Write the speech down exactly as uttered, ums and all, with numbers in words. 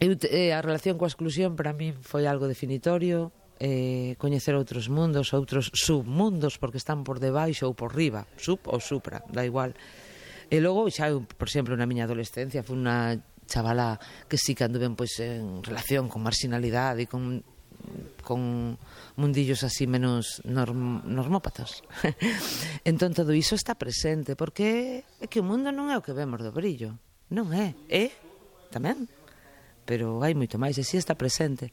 Eu, eh, a relación coa exclusión para min foi algo definitorio, eh, coñecer outros mundos, outros submundos, porque están por debaixo ou por riba, sub ou supra, da igual. E logo, xa, eu, por exemplo, na miña adolescencia, foi unha chavala que sí que anduve pois, en relación con marginalidade e con, con mundillos así menos norm, normópatas. Entón, todo iso está presente, porque é que o mundo non é o que vemos do brillo. Non é, é, tamén, pero hai moito máis, e si está presente.